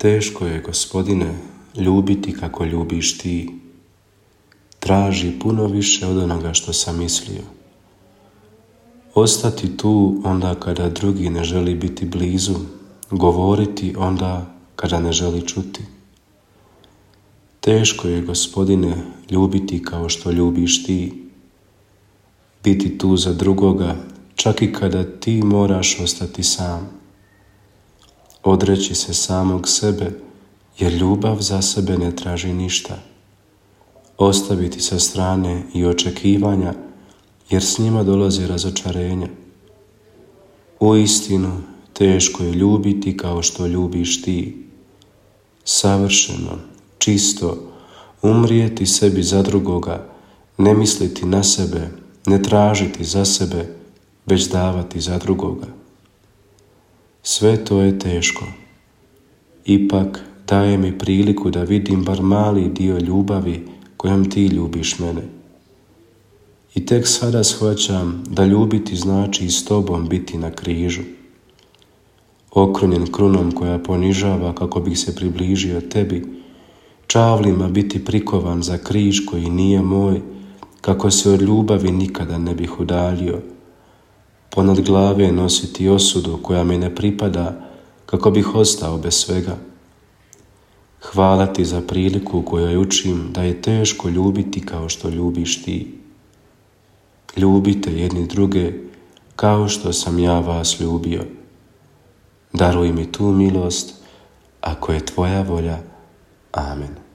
Teško je, Gospodine, ljubiti kako ljubiš ti. Traži puno više od onoga što sam mislio. Ostati tu onda kada drugi ne želi biti blizu, govoriti onda kada ne želi čuti. Teško je, Gospodine, ljubiti kao što ljubiš ti. Biti tu za drugoga, čak i kada ti moraš ostati sam. Odreći se samog sebe, jer ljubav za sebe ne traži ništa. Ostaviti sa strane i očekivanja, jer s njima dolazi razočarenja. Uistinu, teško je ljubiti kao što ljubiš ti. Savršeno, čisto, umrijeti sebi za drugoga, ne misliti na sebe, ne tražiti za sebe, već davati za drugoga. Sve to je teško. Ipak daje mi priliku da vidim bar mali dio ljubavi kojom ti ljubiš mene. I tek sada shvaćam da ljubiti znači i s tobom biti na križu. Okrunjen krunom koja ponižava kako bih se približio tebi, čavlima biti prikovan za križ koji nije moj, kako se od ljubavi nikada ne bih udaljio. Ponad glave nositi osudu koja mi ne pripada, kako bih ostao bez svega. Hvala ti za priliku u kojoj učim da je teško ljubiti kao što ljubiš ti. Ljubite jedni druge kao što sam ja vas ljubio. Daruj mi tu milost, ako je tvoja volja. Amen.